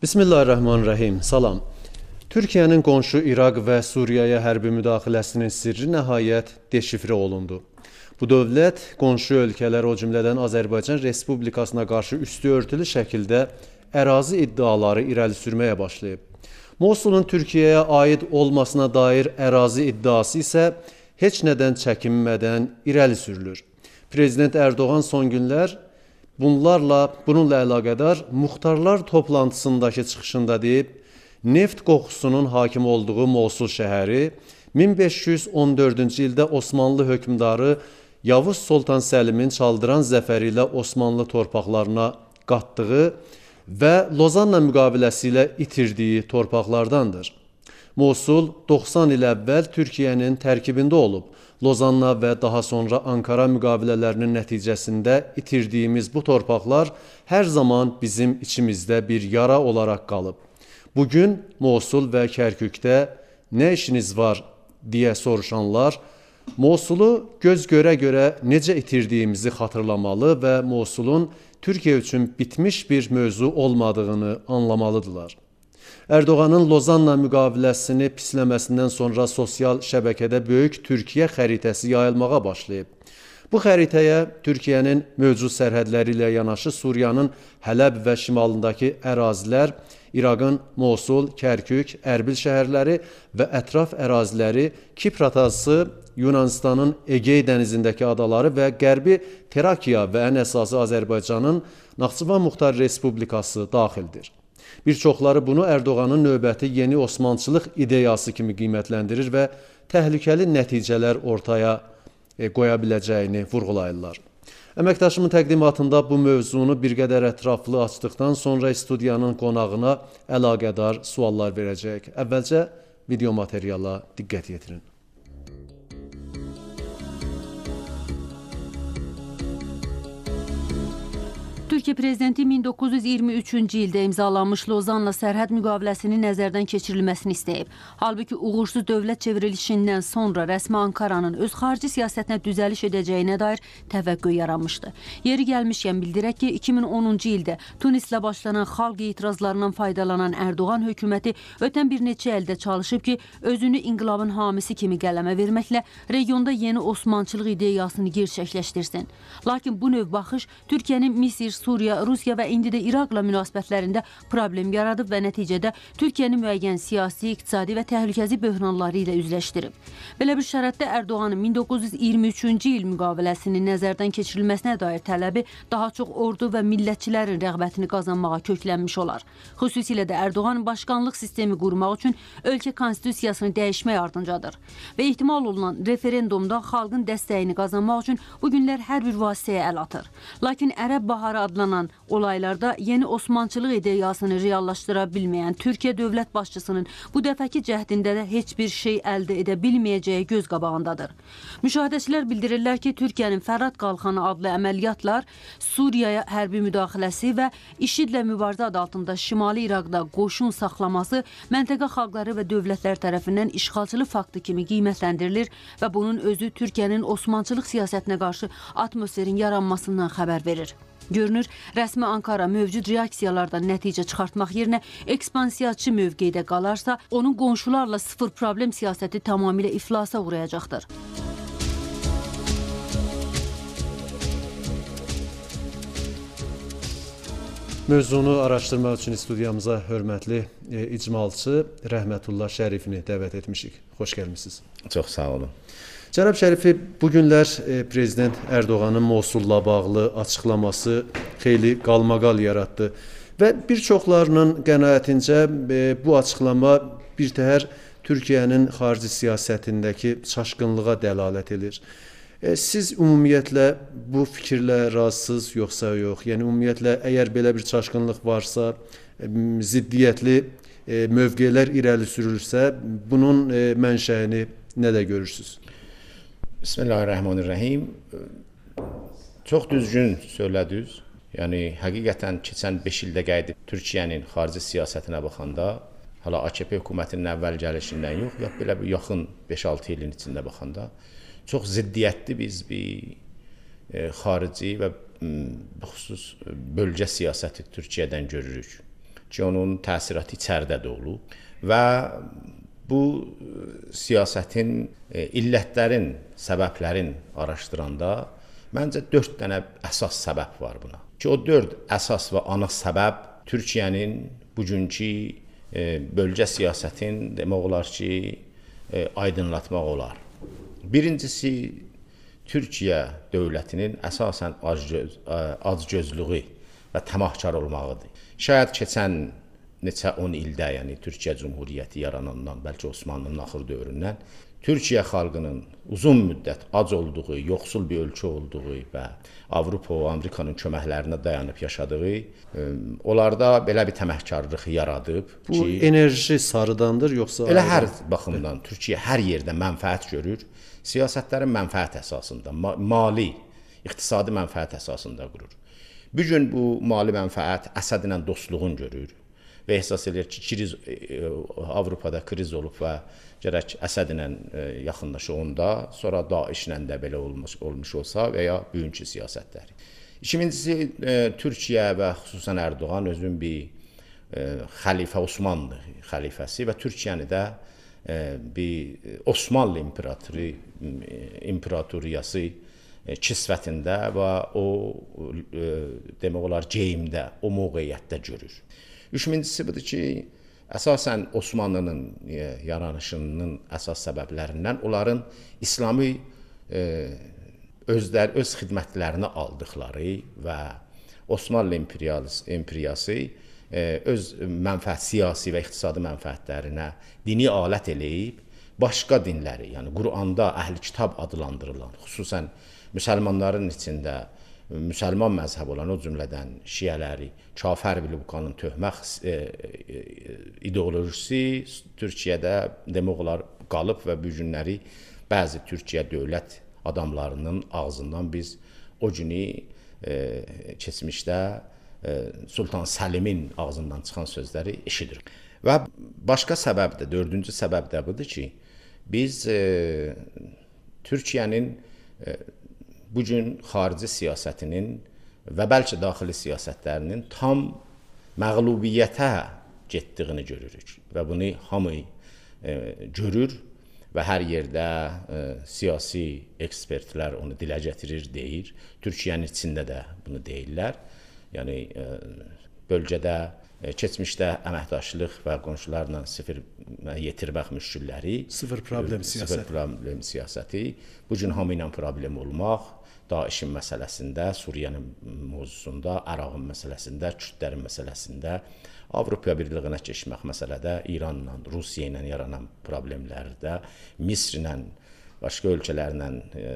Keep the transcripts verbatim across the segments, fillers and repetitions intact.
Bismillahirrahmanirrahim. Salam. Türkiyənin qonşu İraq və Suriyaya hərbi müdaxiləsinin sirri nəhayət deşifrə olundu. Bu dövlət qonşu ölkələr, o cümlədən Azərbaycan Respublikasına qarşı üstü örtülü şəkildə ərazi iddiaları irəli sürməyə başlayıb. Mosulun Türkiyəyə aid olmasına dair ərazi iddiası isə heç nədən çəkinmədən irəli sürülür. Prezident Erdoğan son günlər bunlarla, bununla əlaqədar muxtarlar toplantısındakı çıxışında deyib, neft qoxusunun hakim olduğu Mosul şəhəri min beş yüz on dördüncü ildə Osmanlı hökmdarı Yavuz Sultan Səlimin çaldıran zəfəri ilə Osmanlı torpaqlarına qatdığı və Lozanna müqaviləsi ilə itirdiyi torpaqlardandır. Mosul doxsan il əvvəl Türkiyənin tərkibində olub. Lozanna və daha sonra Ankara müqavilələrinin nəticəsində itirdiyimiz bu torpaqlar hər zaman bizim içimizdə bir yara olaraq qalıb. Bugün Mosul və Kərkükdə nə işiniz var deyə soruşanlar, Mosulu göz görə-görə necə itirdiyimizi xatırlamalı və Mosulun Türkiyə üçün bitmiş bir mövzu olmadığını anlamalıdırlar. Erdoğanın Lozanna müqaviləsini pisləməsindən sonra sosial şəbəkədə böyük Türkiyə xəritəsi yayılmağa başlayıb. Bu xəritəyə Türkiyənin mövcud sərhədləri ilə yanaşı Suriyanın Hələb və şimalındakı ərazilər, İraqın Mosul, Kərkük, Ərbil şəhərləri və ətraf əraziləri, Kipr adası, Yunanistanın Egey dənizindəki adaları və Qərbi Trakiya və ən əsası Azərbaycanın Naxçıvan Muxtar Respublikası daxildir. Bir çoxları bunu Erdoğanın növbəti yeni Osmançılıq ideyası kimi qiymətləndirir və təhlükəli nəticələr ortaya qoya biləcəyini vurğulayırlar. Əməkdaşımın təqdimatında bu mövzunu bir qədər ətraflı açdıqdan sonra studiyanın qonağına əlaqədar suallar verəcək. Əvvəlcə video materiala diqqət yetirin. Türkiyə Prezidenti min doqquz yüz iyirmi üçüncü ildə imzalanmış Lozanla sərhəd müqaviləsinin nəzərdən keçirilməsini istəyib. Halbuki uğursuz dövlət çevrilişindən sonra rəsmi Ankaranın öz xarici siyasətinə düzəliş edəcəyinə dair təvəqqü yaranmışdı. Yeri gəlmişkən bildirək ki, iki min onuncu ildə Tunislə başlanan xalq etirazlarından faydalanan Erdoğan hökuməti ötən bir neçə ildə çalışıb ki, özünü inqilabın hamisi kimi qələmə verməklə regionda yeni Osmançılıq ideyasını gerçəkləşdirsin. Lakin bu növ baxış Türkiyənin Misir, Suriya, Rusiya və indi də İraqla münasibətlərində problem yaradıb və nəticədə Türkiyəni müəyyən siyasi, iqtisadi və təhlükəsi böhranları ilə üzləşdirib. Belə bir şəraitdə Erdoğanın min doqquz yüz iyirmi üçüncü il müqaviləsinin nəzərdən keçirilməsinə dair tələbi daha çox ordu və millətçilərin rəğbətini qazanmağa köklənmiş olar. Xüsusilə də Erdoğan başkanlıq sistemi qurmaq üçün ölkə konstitusiyasını dəyişmək ardıncadır və ehtimal olunan referendumda xalqın dəstəyini qazanmaq üçün bu günlər hər bir vasitəyə əl atır. Lakin Ərəb Baharı adlanan olaylarda yeni Osmançılıq ideyasını reallaşdıra bilməyən Türkiyə dövlət başçısının bu dəfəki cəhdində də heç bir şey əldə edə bilməyəcəyi göz qabağındadır. Müşahidəçilər bildirirlər ki, Türkiyənin Fərad Qalxanı adlı əməliyyatlar, Suriyaya hərbi müdaxiləsi və IŞİD-lə mübarizə adı altında Şimali İraqda qoşun saxlaması məntəqə xalqları və dövlətlər tərəfindən işğalçılıq faktı kimi qiymətləndirilir və bunun özü Türkiyənin Osmançılıq siyasətinə qarşı atmosferin yaranmasından xəbər verir. Görünür, rəsmi Ankara mövcud reaksiyalardan nəticə çıxartmaq yerinə ekspansiyaçı mövqedə qalarsa, onun qonşularla sıfır problem siyasəti tamamilə iflasa uğrayacaqdır. Mövzunu araşdırmaq üçün studiyamıza hörmətli e, icmalçı Rəhmətullah Şərifini dəvət etmişik. Xoş gəlmişsiniz. Çox sağ olun. Cənab Şərifi, bugünlər e, Prezident Erdoğanın Mosulla bağlı açıqlaması xeyli qalmaqal yaratdı və bir çoxlarının qənaətincə e, bu açıqlama bir təhər Türkiyənin xarici siyasətindəki çaşqınlığa dəlalət edir. E, siz ümumiyyətlə bu fikirlə razısınız yoxsa yox? Yəni ümumiyyətlə əgər belə bir çaşqınlıq varsa, e, ziddiyyətli e, mövqelər irəli sürülürsə, bunun e, mənşəyini nədə görürsünüz? Bismillahirrahmanirrahim. Çox düzgün söylədiniz. Yəni, həqiqətən keçən beş ildə qayıdıb Türkiyənin xarici siyasətinə baxanda, hala A K P hökumətinin əvvəl gəlişindən yox, ya belə bir yaxın beş altı ilin içində baxanda, çox ziddiyyətli biz bir xarici və xüsus bölgə siyasəti Türkiyədən görürük. ki, onun təsiratı içəridə də olub və bu siyasətin, illətlərin, səbəblərin araşdıranda məncə dörd dənə əsas səbəb var buna. Ki, o dörd əsas və ana səbəb Türkiyənin bugünkü e, bölgə siyasətin demək olar ki, e, aydınlatmaq olar. Birincisi, Türkiyə dövlətinin əsasən acgöz, acgözlüyü və təmahkar olmağıdır. Şayad keçən neçə on ildə, yəni Türkiyə Cümhuriyyəti yaranandan, bəlkə Osmanlının axır dövründən Türkiyə xalqının uzun müddət ac olduğu, yoxsul bir ölkə olduğu və Avropa və Amerikanın köməklərinə dayanıb yaşadığı, onlarda belə bir təmahkarlıq yaradıb. Bu ki, enerji sarıdandır, yoxsa? Elə hər baxımdan Türkiyə hər yerdə mənfəət görür. Siyasətlərin mənfəət əsasında, mali, iqtisadi mənfəət əsasında qurur. Bu gün bu mali mənfəət Əsəd ilə dostluğun görür və ehsas edir ki, kriz, Avropada kriz olub və gərək Əsəd ilə yaxınlaşığında, sonra Daişlə də belə olmuş, olmuş olsa və ya bugünkü siyasətləri. İkincisi, Türkiyə və xüsusən Erdoğan özün bir xəlifə Osmanlı xəlifəsi və Türkiyəni də bir Osmanlı imperatoru, imperatoriyası kisvətində və o demək olar geyimdə, o mövqeyiyyətdə görür. Üçüncüsü budur ki, əsasən Osmanlının yaranışının əsas səbəblərindən onların İslami özlər, öz xidmətlərini aldıqları və Osmanlı imperiyası öz mənfəət, siyasi və iqtisadi mənfəətlərinə dini alət eləyib, başqa dinləri, yəni Quranda əhl-i kitab adlandırılan, xüsusən müsəlmanların içində müsəlman məzhəb olan, o cümlədən şiələri kafir bilib qanun töhmək e, e, ideolojisi Türkiyədə demək olar qalıb və bu günləri bəzi Türkiyə dövlət adamlarının ağzından biz o günü e, keçmişdə e, Sultan Səlimin ağzından çıxan sözləri eşidirik. Və başqa səbəb də, dördüncü səbəb də budur ki, biz e, Türkiyənin e, bugün xarici siyasətinin və bəlkə daxili siyasətlərinin tam məğlubiyyətə getdiyini görürük və bunu hamı e, görür və hər yerdə e, siyasi ekspertlər onu dilə gətirir, deyir. Türkiyənin içində də bunu deyirlər. Yəni e, bölgədə e, keçmişdə əməkdaşlıq və qonşularla sıfır yetirmək müşkülləri, sıfır problem siyasəti. Sıfır problem siyasəti, bugün hamı ilə problem olmaq, Daişin məsələsində, Suriyenin mövzusunda, Ərağın məsələsində, Kürdlərin məsələsində, Avropa birliyinə keçmək məsələdə, İranla, Rusiya ilə yaranan problemlərdə, Misr ilə, başqa ölkələrlə e,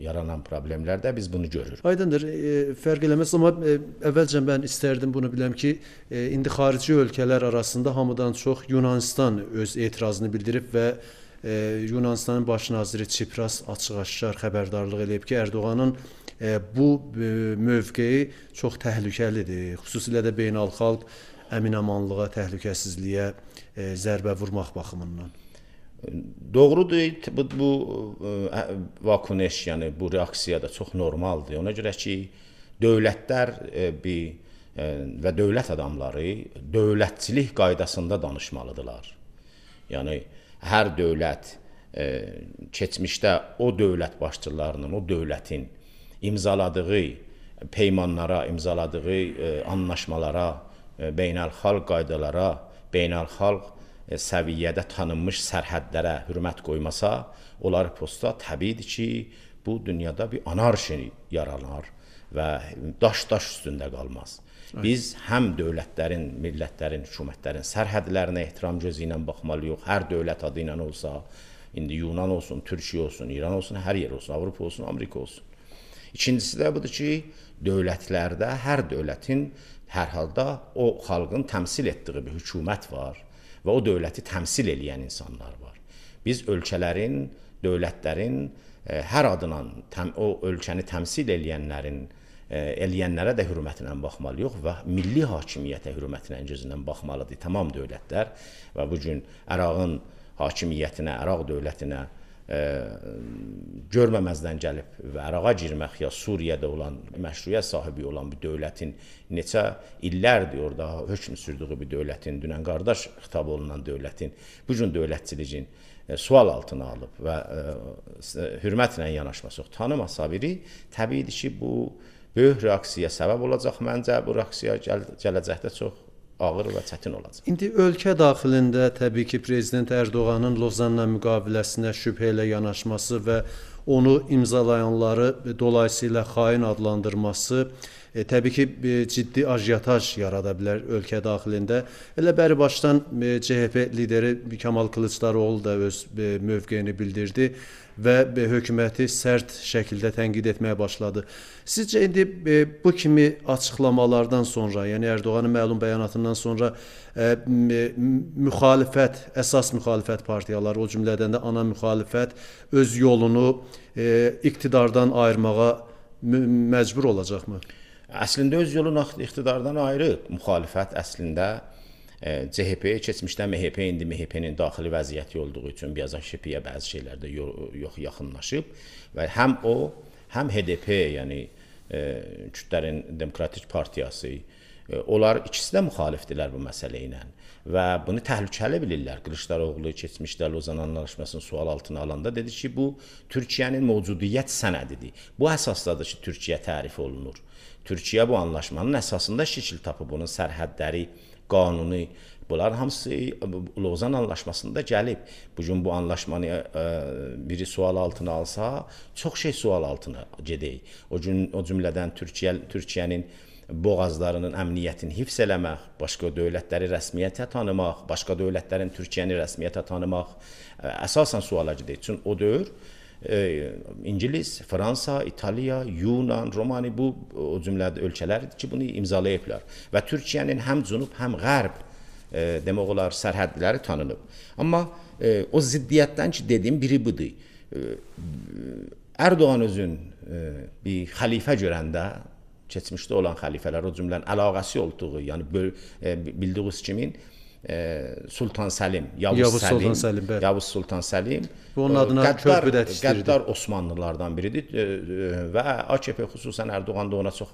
yaranan problemlərdə biz bunu görürük. Aydındır, e, fərq eləməz, amma e, əvvəlcə mən istərdim bunu biləm ki, e, indi xarici ölkələr arasında hamıdan çox Yunanistan öz etirazını bildirib və e, Yunanistanın baş naziri Çipras açıq-aşkar xəbərdarlıq eləyib ki, Erdoğanın e, bu e, mövqeyi çox təhlükəlidir, xüsusilə də beynəlxalq əmin-amanlığa, təhlükəsizliyə e, zərbə vurmaq baxımından. Doğrudur, bu, bu vakuneş, yəni bu reaksiya da çox normaldır. Ona görə ki, dövlətlər e, bir, e, və dövlət adamları dövlətçilik qaydasında danışmalıdırlar. Yəni, hər dövlət e, keçmişdə o dövlət başçılarının, o dövlətin imzaladığı peymanlara, imzaladığı e, anlaşmalara, e, beynəlxalq qaydalara, beynəlxalq səviyyədə tanınmış sərhədlərə hörmət qoymasa, onlar posta təbiidir ki, bu dünyada bir anarşi yaranar və daş-daş üstündə qalmaz. Biz həm dövlətlərin, millətlərin, hökumətlərin sərhədlərinə ehtiram gözü ilə baxmalıyıq. Hər dövlət adı ilə olsa, indi Yunan olsun, Türkiyə olsun, İran olsun, hər yer olsun, Avropa olsun, Amerika olsun. İkincisi də budur ki, dövlətlərdə hər dövlətin hər halda o xalqın təmsil etdiyi bir hökumət var və o dövləti təmsil edən insanlar var. Biz ölkələrin, dövlətlərin e, hər adına təm, o ölkəni təmsil edənlərin, e, eləyənlərə də hörmətlə baxmalıyıq və milli hakimiyyətə hörmətlə gözündən baxmalıdır tamam dövlətlər və bu gün Ərağın hakimiyyətinə, Əraq dövlətinə görməməzdən gəlib və ərağa girmək ya Suriyada olan, məşruiyyət sahibi olan bir dövlətin neçə illərdir orada hökm sürdüyü bir dövlətin, dünən qardaş xitab olunan dövlətin, bu cür dövlətçiliyin sual altına alıb və hörmətlə yanaşması, tanımasa biri, təbiidir ki, bu böyük reaksiyaya səbəb olacaq. Məncə bu reaksiya gəl gələcəkdə çox ağır və çətin olacaq. İndi ölkə daxilində təbii ki, Prezident Ərdoğanın Lozanla müqaviləsinə şübhə ilə yanaşması və onu imzalayanları dolayısıyla xain adlandırması e, təbii ki, e, ciddi ajiotaj yarada bilər ölkə daxilində. Elə bəri başdan e, C H P lideri Kemal Kılıçdaroğlu da öz e, mövqeyini bildirdi və e, hökuməti sərt şəkildə tənqid etməyə başladı. Sizcə indi e, bu kimi açıqlamalardan sonra, yəni Ərdoğanın məlum bəyanatından sonra e, müxalifət, əsas müxalifət partiyaları, o cümlədən də ana müxalifət öz yolunu e, iqtidardan ayırmağa məcbur olacaqmı? Əslində öz yolunu iqtidardan ayırıb. Müxalifət əslində C H P, keçmişdə M H P, indi M H P-nin daxili vəziyyəti olduğu üçün biraz Ş P-yə bəzi şeylərdə yox yaxınlaşıb və həm o, həm H D P, yəni Kürdlərin Demokratik Partiyası, onlar ikisi də müxalifdirlər bu məsələ ilə və bunu təhlükəli bilirlər. Kılıçdaroğlu keçmişdə Lozan Anlaşmasını sual altına alanda dedi ki, bu Türkiyənin mövcudiyyət sənədidir. Bu əsasdadır ki, Türkiyə tərif olunur. Türkiyə bu anlaşmanın əsasında şəkil tapıb, bunun sərhədləri, qanuni, bunlar hamısı Lozan Anlaşmasında gəlib. Bugün bu anlaşmanı biri sual altına alsa, çox şey sual altına gedək. O cümlədən Türkiyə, Türkiyənin boğazlarının əmniyyətini hifz eləmək, başqa dövlətləri rəsmiyyətə tanımaq, başqa dövlətlərin Türkiyəni rəsmiyyətə tanımaq əsasən suala gedək. Çünki o dövr İngilis, Fransa, İtaliya, Yunan, Romani bu o cümlədə ölkələrdir ki, bunu imzalayıblar. Və Türkiyənin həm cənub, həm qərb e, demək olar sərhədləri tanınıb. Amma e, o ziddiyyətdən ki, dediyim biri budur. E, Ərdoğan özün e, bir xəlifə görəndə, keçmişdə olan xəlifələr, o cümlənin əlaqəsi olduğu, yəni e, bildiğiniz kimin, Sultan Səlim, Yavuz, Yavuz Səlim, Sultan Səlim, Yavuz Sultan Səlim, onun adına körpü də istəyirdi. Qəddar Osmanlılardan biridir və A K P xüsusən Ərdoğan da ona çox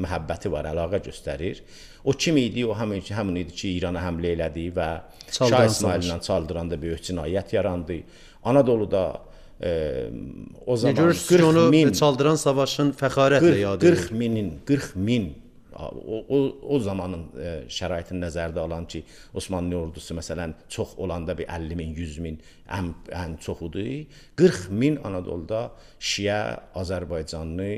məhəbbəti var, əlaqə göstərir. O kim idi? O həmin, həmin idi ki, İrana həmlə elədi və Şah İsmaillə Çaldıranda böyük cinayət yarandı. Anadoluda e, o zaman qırx min Çaldıran savaşın fəxarətlə yad edilir. qırx minin, qırx min O, o, o zamanın e, şəraitini nəzərdə alan ki, Osmanlı ordusu məsələn çox olanda bir əlli min, yüz min ən, ən çoxudur. qırx min Anadoluda Şiə, Azərbaycanlı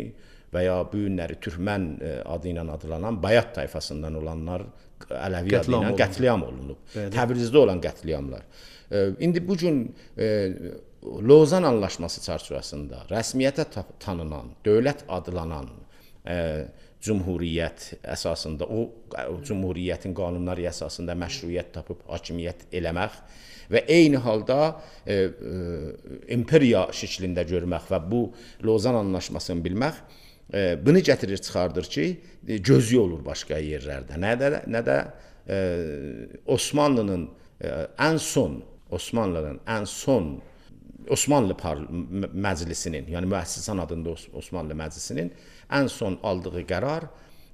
və ya bu günləri Türkmən e, adı ilə adlanan Bayat tayfasından olanlar Ələvi adı ilə qətliam olunub. Təbrizdə olan qətliamlar. E, indi bu gün e, Lozan Anlaşması çərçivəsində rəsmiyyətə tanınan, dövlət adlanan e, Cumhuriyyət əsasında, o, o Cumhuriyyətin qanunları əsasında məşruiyyət tapıb hakimiyyət eləmək və eyni halda e, e, imperiya şəklində görmək və bu Lozan Anlaşmasını bilmək e, bunu gətirir, çıxardır ki, e, gözü olur başqa yerlərdə. Nə də, nə də e, Osmanlının e, ən son, Osmanlının ən son Osmanlı Məclisinin, yəni müəssisən adında Osmanlı Məclisinin ən son aldığı qərar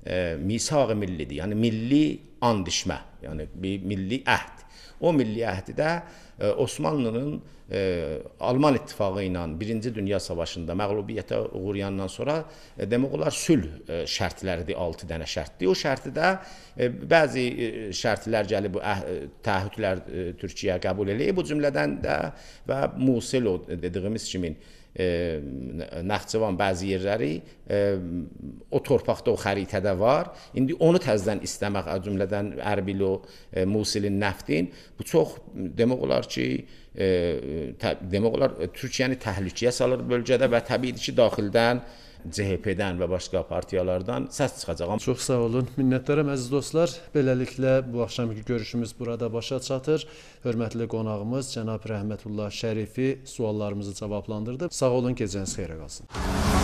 e, misaq-ı millidir, yəni milli and içmə, yəni bir milli əhd. O milli əhdidə e, Osmanlının e, Alman İttifaqı ilə Birinci Dünya Savaşında məğlubiyyətə uğrayandan sonra e, demək olar sülh e, şərtləridir, altı dənə şərtdir. O şərtidə e, bəzi e, şərtlər gəlib, bu əh, təahhüdlər e, Türkiyə qəbul eləyib, bu cümlədən də və Musil o dediyimiz kimin E, Naxçıvan bəzi yerləri e, o torpaqda, o xəritədə var. İndi onu təzədən istəmək, cümlədən Ərbil o e, Musilin nəftin, bu çox demək olar ki, e, tə, demək olar Türkiyəni təhlükəyə salır bölgədə və təbiidir ki, daxildən C H P-dən və başqa partiyalardan səs çıxacaq. Çox sağ olun. Minnətdaram əziz dostlar. Beləliklə bu axşamki görüşümüz burada başa çatır. Hörmətli qonağımız cənab Rəhmətullah Şərifi suallarımızı cavablandırdı. Sağ olun, gecəniz xeyrə qalsın.